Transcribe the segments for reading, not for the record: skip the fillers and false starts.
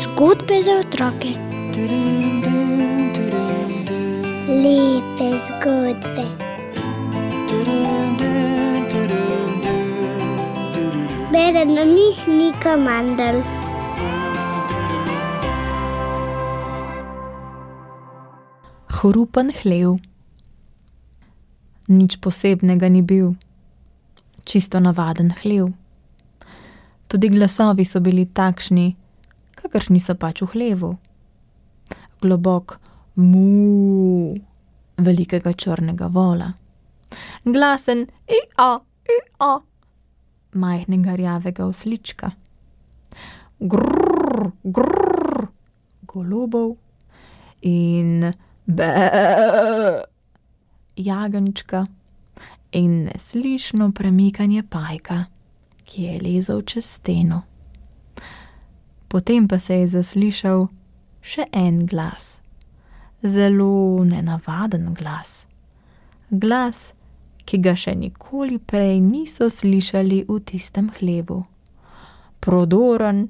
Zgodbe za otroke. Lepe zgodbe. Bere na njih Nika Mandl. Hrupen hlev. Nič posebnega ni bil. Čisto navaden hlev. Tudi glasovi so bili takšni, kakršni so pač v hlevu. Globok mu velikega črnega vola. Glasen i-a majhnega rjavega oslička. Grrr, grrr golobov in jagenjčka in neslišno premikanje pajka, ki je lezel čez steno. Potem pa se je zaslišal še en glas. Zelo nenavaden glas. Glas, ki ga še nikoli prej niso slišali v tistem hlevu. Prodoren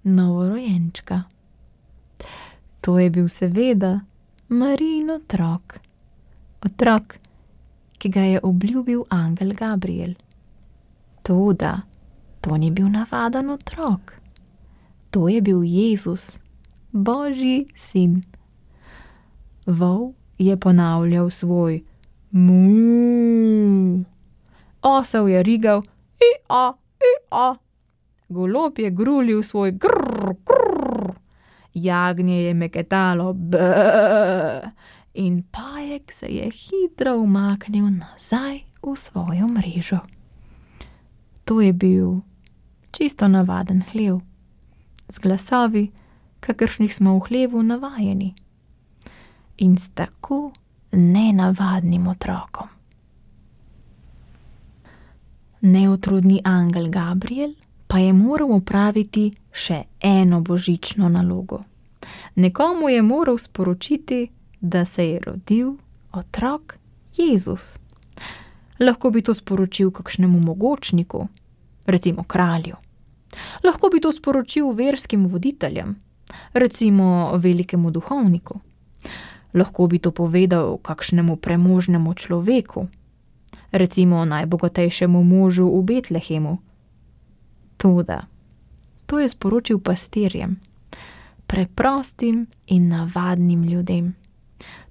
novorojenčka. To je bil seveda Marijin otrok. Otrok, ki ga je obljubil angel Gabriel. Toda to ni bil navaden otrok. To je bil Jezus, Božji sin. Vol je ponavljal svoj mu. Osel je rigal i-a. Golob je grulil svoj grrr, grrr. Jagnje je meketalo b. In pajek se je hitro umaknil nazaj v svojo mrežo. To je bil čisto navaden hlev, z glasovi, kakršnih smo v hlevu navajeni. In s tako nenavadnim otrokom. Neutrudni angel Gabriel pa je moral opraviti še eno božično nalogo. Nekomu je moral sporočiti, da se je rodil otrok Jezus. Lahko bi to sporočil kakšnemu mogočniku, recimo kralju. Lahko bi to sporočil verskim voditeljem, recimo velikemu duhovniku. Lahko bi to povedal kakšnemu premožnemu človeku, recimo najbogatejšemu možu v Betlehemu. Toda to je sporočil pastirjem, preprostim in navadnim ljudem,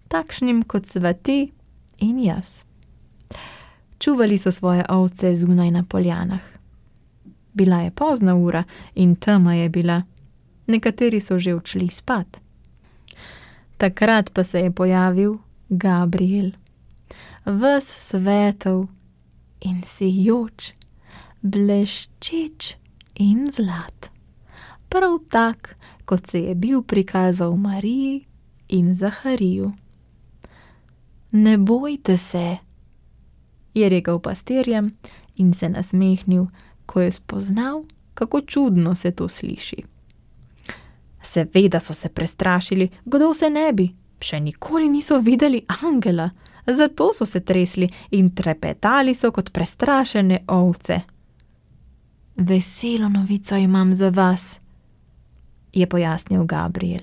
takšnim kot sva ti in jaz. Čuvali so svoje ovce zunaj na poljanah. Bila je pozna ura in tema je bila. Nekateri so že odšli spat. Takrat pa se je pojavil Gabriel. Ves svetov in sijoč, bleščeč in zlat. Prav tak, kot se je bil prikazal Mariji in Zahariju. Ne bojte se, je rekel pastirjem in se nasmehnil, ko je spoznal, kako čudno se to sliši. Seveda so se prestrašili, kdo se ne bi, še nikoli niso videli angela, zato so se tresli in trepetali so kot prestrašene ovce. Veselo novico imam za vas, je pojasnil Gabriel.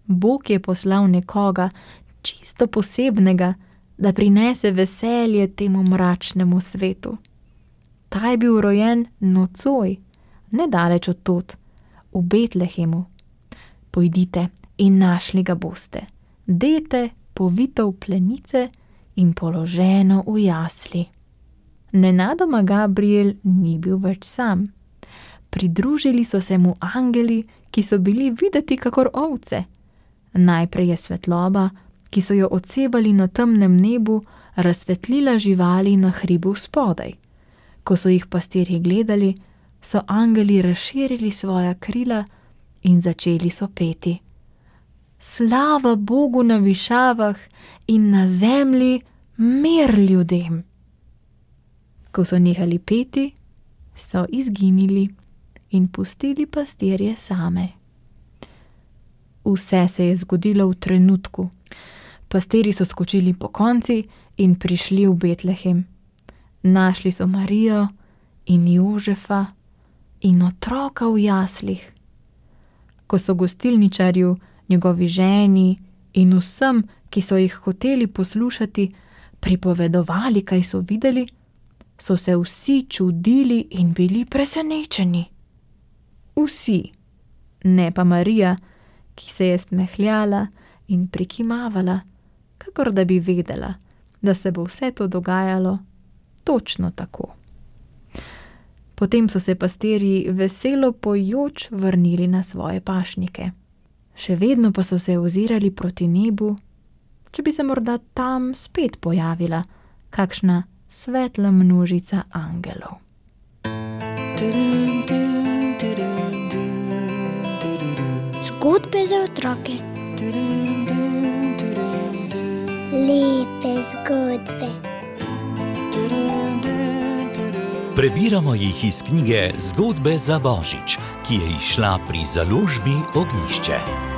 Bog je poslal nekoga čisto posebnega, da prinese veselje temu mračnemu svetu. Ta je bil rojen nocoj, nedaleč od tod, v Betlehemu. Pojdite in našli ga boste. Dete povito v plenice in položeno v jasli. Nenadoma Gabriel ni bil več sam. Pridružili so se mu angeli, ki so bili videti kakor ovce. Najprej je svetloba, ki so jo odsevali na temnem nebu, razsvetlila živali na hribu spodaj. Ko so jih pastirji gledali, so angeli razširili svoja krila in začeli so peti. Slava Bogu na višavah in na zemlji mir ljudem. Ko so nehali peti, so izginili in pustili pastirje same. Vse se je zgodilo v trenutku. Pastiri so skočili po konci in prišli v Betlehem. Našli so Marijo in Jožefa in otroka v jaslih. Ko so gostilničarju, njegovi ženi in vsem, ki so jih hoteli poslušati, pripovedovali, kaj so videli, so se vsi čudili in bili presenečeni. Vsi, ne pa Marija, ki se je smehljala in prikimavala, kakor da bi vedela, da se bo vse to dogajalo točno tako. Potem so se pastirji veselo pojoč vrnili na svoje pašnike. Še vedno pa so se ozirali proti nebu, če bi se morda tam spet pojavila kakšna svetla množica angelov. Zgodbe za otroke. Lepe zgodbe. Prebiramo jih iz knjige Zgodbe za Božič, ki je izšla pri založbi Ognjišče.